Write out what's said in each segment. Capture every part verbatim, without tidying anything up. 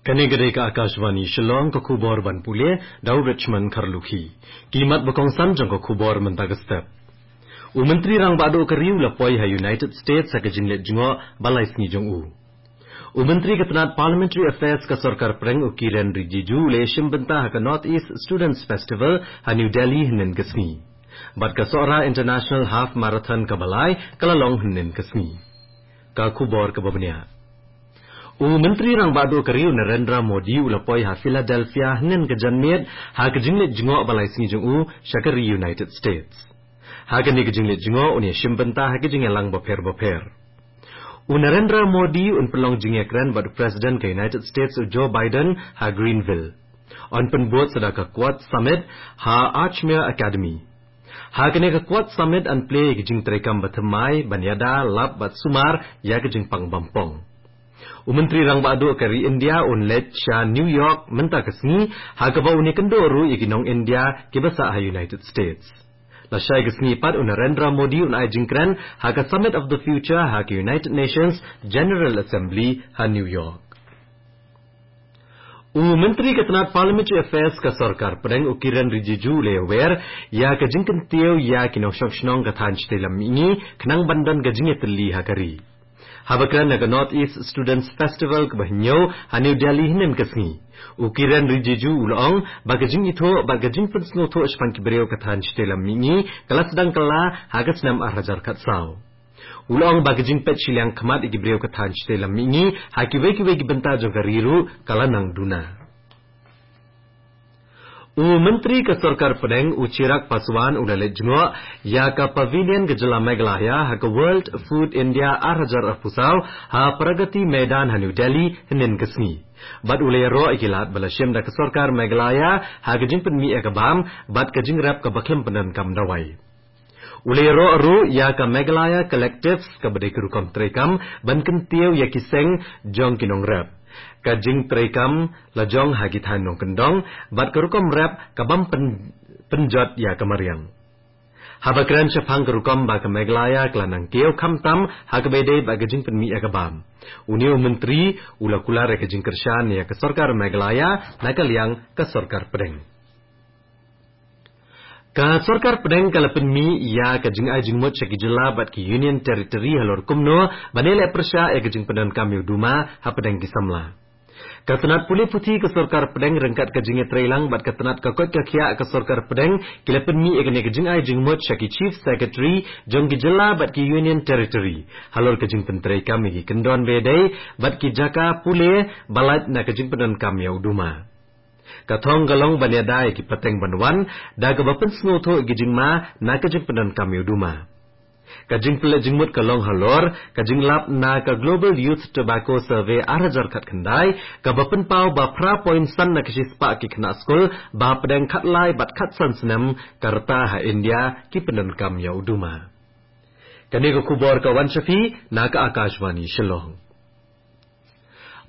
Kane ka dei ka Akashvani Shillong, ka khubor ban pule da u Richmond Kharlukhi. Ki mat ba kongsan jong ka khubor mynta ka step. U Myntri Rangbah Duh ka ri u la poi ha United States ha ka jingleit jngoh ba lai sngi jong u. U Myntri ka tnat Parliamentary Affairs ka Sorkar Pdeng u Kiren Rijiju u la ïashim bynta ha ka North East Students Festival ha New Delhi hynnin ka sngi. Bad ka Sohra International Half Marathon kaba lai ka la long hynnin ka sngi. Ka khubor kaba bniah. U Myntri Rangbah Duh ka ri u Narendra Modi u la poi ha Philadelphia hynnin ka janmiet ha ka jingleit jngoh ba lai sngi jong u sha ka ri United States. Ha kane ka jingleit jngoh un ïashim bynta ha ka jingïalang bapher bapher. U Narendra Modi un pynlong jingïakren bad u President ka United States u Joe Biden ha Greenville. Un pynbud sa da ka Quad Summit ha Archmere Academy. Ha kane ka Quad Summit yn plie ïa ka jingtreikam bathymmai ban ïada lap bad sumar ïa ka jingpang bampong. U Myntri Rangbah Duh ka ri India un leit sha New York mynta ka sngi, ha kaba un ïakynduh ruh ïa ki nong India kiba sah ha United States. Lashai ka sngi pat u Narendra Modi un ai jingkren ha ka Summit of the Future ha ka United Nations General Assembly ha New York. U Myntri ka tnat Parliamentary Affairs ka Sorkar Pdeng u Kiren Rijiju u la wer ïa ka jingkyntiew ïa ki nongshong shnong ka thaiñ shatei lam mihngi khnang ban don ka jingïatylli ha ka ri. Haba kren ha ka North East Students Festival kaba hynñiew ha New Delhi hynnin ka sngi, u Kiren Rijiju u la ong ba ka jingithuh bad ka jingpynsngewthuh shaphang ki briew ka thaiñ shatei lam mihngi ka la sdang kylla ha ka snem ar hajar khatsaw. U la ong ba ka jingpeit shiliang khmat ïa ki briew ka thaiñ shatei lam mihngi ha kiwei kiwei ki bynta jong ka ri ruh ka la nang duna. U Myntri ka Sorkar Pdeng u Chirag Paswan u la leit jngoh ïa ka Pavilion ka jylla Meghalaya ha ka World Food India ar hajar arphew saw ha Pragati Maidan ha New Delhi hynnin ka sngi. Bad u la ïaroh ïa ki lad ba la shim da ka Sorkar Meghalaya ha ka jingpynmih ïa ka bam bad ka jingrep kaba khlem pyndonkam dawai. U la ïaroh ruh ïa ka Meghalaya Collectives kaba dei ka rukom treikam ban kyntiew ïa ki seng jong ki nongrep. Ka jingtreikam la jong ha ki thaiñ nongkyndong bad ka rukom rep ka bym pyn-, pynjot ïa ka mariang. Haba kren shaphang ka rukom ba ka Meghalaya ka la nang kiew khamtam ha kaba ïadei bad ka jingpynmih ïa ka bam, une u Myntri u la kular ïa ka jingkyrshan ïa ka Sorkar Meghalaya na ka liang ka Sorkar Pdeng. Ka Sorkar Pdeng ka la pynmih ïa ka jingai jingmut sha ki jylla bad ki Union Territory halor kumno ban ïaleh pyrshah ïa ka jingpyndonkam ïa u duma hapdeng ki samla. Ka tnat pule puthi ka Sorkar Pdeng ryngkat ka jingïatreilang bad ka tnat ka koit ka khiah ka Sorkar Pdeng ki la pynmih ïa kane ka jingai jingmut sha ki Chief Secretary jong ki jylla bad ki Union Territory halor ka jingpyntreikam ïa ki kyndon ba ïadei bad ki jaka pule ba lait na ka jingpyndonkam ïa u duma. Ka thong ka long ban ïada ïa ki pateng ban wan da kaba pynsngewthuh ïa ki jingma na ka jingpyndonkam ïa u duma. Ka jingpynleit jingmut ka long halor ka jinglap na ka Global Youth Tobacco Survey ar hajar khatkhyndai kaba pynpaw ba phra point san na ka shispah ki khynnah skul ba hapdeng khatlai bad khatsan snem ka rta ha India ki pyndonkam ïa u duma. Kane ka khubor ka wan sha phi na ka Akashvani Shillong.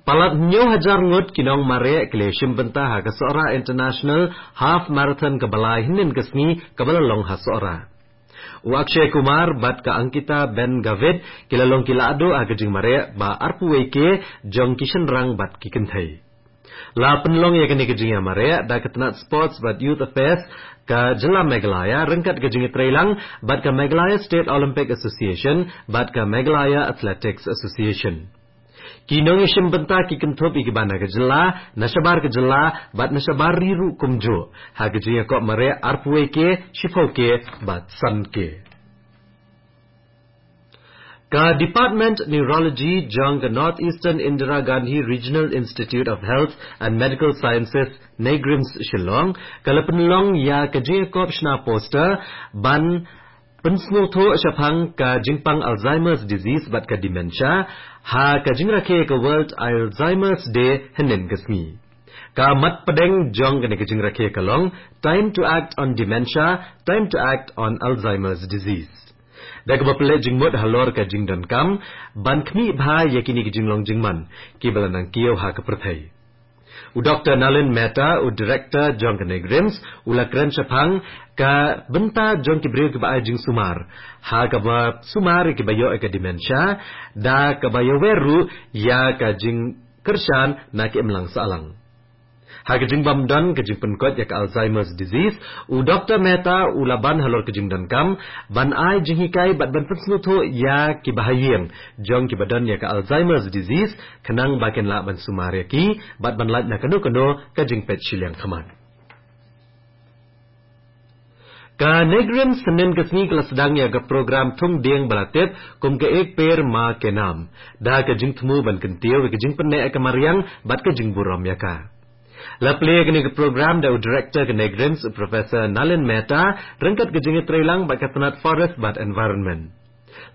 Palat hynñiew hajar ngut ki nongmareh ki la shim bynta ha ka Sohra International Half Marathon kaba lai hynnin ka sngi kaba la long ha Sohra. U Akshay Kumar bad ka Ankita Ben Gavit ki la long ki lahduh ha ka jingmareh ba arphew wei K jong ki shynrang bad ki kynthei. La pynlong ïa kane ka jingïamareh da ka tnat Sports bad Youth Affairs ka jylla Meghalaya ryngkat ka jingïatreilang bad ka Meghalaya State Olympic Association bad ka Meghalaya Athletics Association. Ki nongïashim bynta ki kynthup ïa kiba na ka jylla, na shabar ka jylla bad na shabar ri ruh kumjuh ha ka jingïakop mareh arphew wei K, shiphew K bad san K. Ka Department Neurology jong ka North Eastern Indira Gandhi Regional Institute of Health and Medical Sciences, NEIGRIHMS, Shillong ka la pynlong ïa ka jingïakop shna poster ban pynsngewthuh shaphang ka jingpang Alzheimer's disease bad ka dementia ha ka jingrakhe ka World Alzheimer's Day hynnin ka sngi. Ka mat pdeng jong kane ka jingrakhe ka long Time to Act on Dementia, Time to Act on Alzheimer's Disease. Da kaba pynleit jingmut halor ka jingdonkam ban khmih bha ïa kine ki jinglong jingman kiba la nang kiew ha ka pyrthei. U Doktor Nalin Mehta, u Director jong ka NEIGRIHMS, u la kren shaphang ka bynta jong ki briew kiba ai jingsumar ha kaba sumar ïa kiba ïoh ïa ka dementia, da kaba ïawer ruh ïa ka jing kyrshan na ka imlang sahlang. Ha ka jingbym don ka jingpynkot ïa ka Alzheimer's disease, u Doktor Mehta u la ban halor ka jingdonkam ban ai jinghikai bad ban pynsngewthuh ïa ki bahaïing jong ki ba don ïa ka Alzheimer's disease, khnang ba kin lah ban sumar ïa ki bad ban lait na kano kano ka jingpeit shiliang khmat. Ka NEIGRIHMS hynnin ka sngi ka la sdang ïa ka program thung dieng ba la tip kum ka Ek Ped Maa Ke Naam, da ka jingthmu ban kyntiew ïa ka jingpynneh ïa ka mariang bad ka jingburom ïa ka. La plie ïa kane ka program da u Director ka NEIGRIHMS, u Professor Nalin Mehta, ryngkat ka jingïatreilang bad ka tnat Forest bad Environment.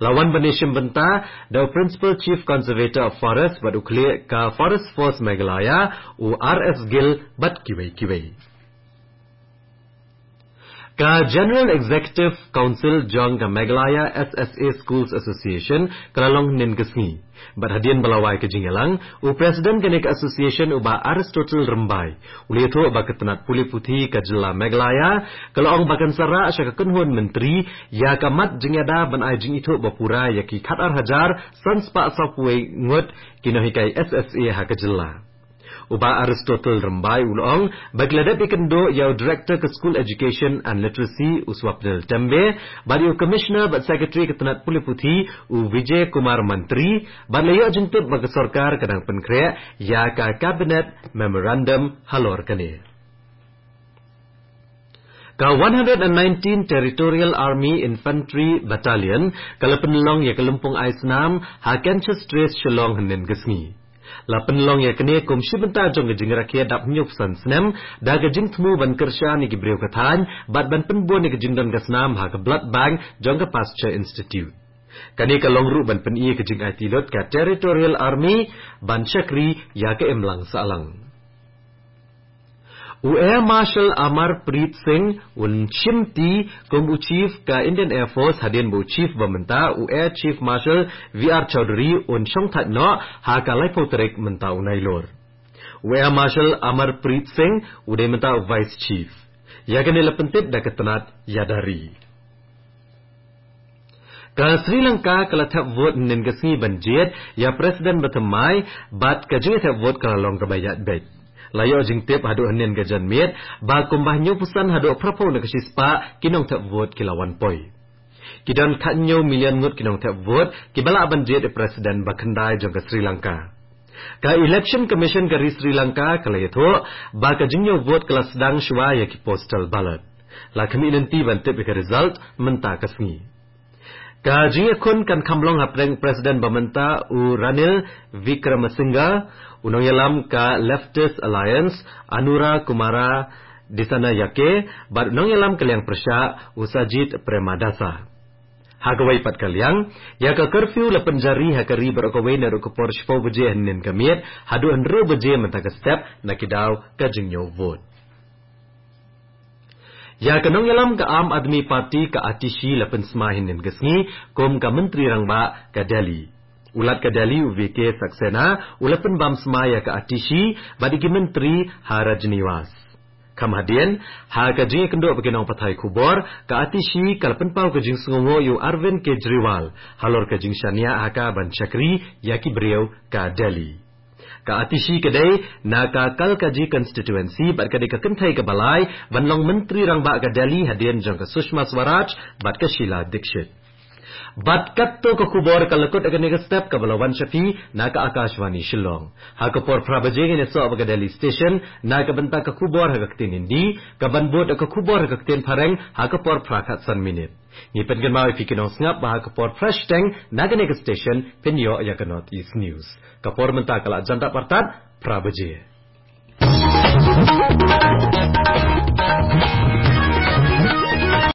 La wan ban ïashim bynta da u Principal Chief Conservator of Forest bad u khlieh ka Forest Force Meghalaya, u R S Gill, bad kiwei kiwei. Ka General Executive Council jong ka Meghalaya S S A Schools Association ka la long hynnin ka sngi. Bad hadien ba la wai ka jingïalang, u President kane ka association, u Bah Aristotle Rymbai, u la ïathuh ba ka tnat pule puthi ka jylla Meghalaya ka la ong ba kan sa rah sha ka kynhun myntri ïa ka mat jingïada ban ai jingithuh ba pura ïa ki khatar hajar san spah sawphew wei ngut ki nonghikai S S A ha ka jylla. U Bah Aristotle Rymbai u la ong ba ki la dep ïakynduh ïa u Director ka School Education and Literacy, u Swapnil Tembe, bad ïa u Commissioner bad Secretary ka tnat pule puthi, u Vijay Kumar Mantri, bad la ïoh jingtip ba ka sorkar ka dang pynkhreh ïa ka Cabinet Memorandum halor kane. Ka one hundred and nineteen Territorial Army Infantry Battalion ka la pynlong ïa ka lympung ai snam ha Canchas Terrace, Shillong, hynnin ka sngi. La pynlong ïa kane kum shi bynta jong ka jingrakhe dap hynñiewphew san snem da ka jingthmu ban kyrshan ïa ki briew ka thaiñ bad ban pynbun ïa ka jingdon ka snam ha ka Blood Bank jong ka Pasteur Institute. Kane ka long ruh ban pyni ïa ka jingaiti lut ka Territorial Army ban shakri ïa ka imlang sahlang. U Air Marshal Amarpreet Singh un shimti kum u Chief ka Indian Air Force hadien ba u Chief ba mynta, u Air Chief Marshal V R Chaudhary, un shongthait noh ha ka laiphew tarik mynta u Nailur. U Air Marshal Amarpreet Singh u dei mynta u Vice Chief. Ïa kane la pyntip da ka tnat ïada ri. Ka Sri Lanka ka la thep vote hynnin ka sngi ban jied ïa President ba thymmai bad ka jingthep vote ka la long kaba ïaid beit. La ïoh jingtip haduh hynnin ka janmiet ba kumba hynñiewphew san haduh phraphew na ka shispah ki nongthep vote ki la wan poi. Ki don khathynñiew million ngut ki nongthep vote kiba lah ban jied ïa President ba khyndai jong ka Sri Lanka. Ka Election Commission ka ri Sri Lanka ka la ïathuh ba ka jingñiew vote ka la sdang shuwa ïa ki postal ballot. La khmih lynti ban tip ïa ka result mynta ka sngi. Ka jingïakhun kan kham long hapdeng President ba mynta u Ranil Wickremesinghe, u nongïalam ka Leftist Alliance Anura Kumara Dissanayake bad u nongïalam ka liang pyrshah u Sajith Premadasa. Ha kawei pat ka liang, ïa ka curfew la pynjari ha ka ri baroh kawei naduh ka por shiphew baje hynnin ka miet haduh hynriew baje mynta ka step na ki daw ka jingñiew vote. Ïa ka nongïalam ka Aam Aadmi Party ka Atishi la pynsmai hynnin ka sngi kum ka Myntri Rangbah ka Delhi. U Lat ka Delhi u V K Saxena u la pynbam smai ïa ka Atishi bad ïa ki myntri ha Rajniwas. Kham hadien, ha ka jingïakynduh bad ki nongpathai khubor, ka Atishi ka la pynpaw ka jingsngewnguh ïa u Arvind Kejriwal halor ka jingshaniah ha ka ban shakri ïa ki briew ka Delhi. Ka Atishi ka dei na ka Kalkaji constituency bad ka dei ka kynthei kaba lai ban long Myntri Rangbah ka Delhi hadien jong ka Sushma Swaraj bad ka Sheila Dikshit. Bad katto ka khubor ka la kut ha kane ka step kaba la wan sha phi na ka Akashvani Shillong. Ha ka por phra baje ngin ïasoh bad ka Delhi Station na ka bynta ka khubor ha ka ktien Hindi, kaban bud ka khubor ha ka ktien Phareng ha ka por phra khatsan minit. Ngi pynkynmaw ïa phi ki nongsngap ba ha ka por phra shiteng na kane ka station phin ïoh ïa ka North East News. Ka por mynta ka la jan dap artat phra baje.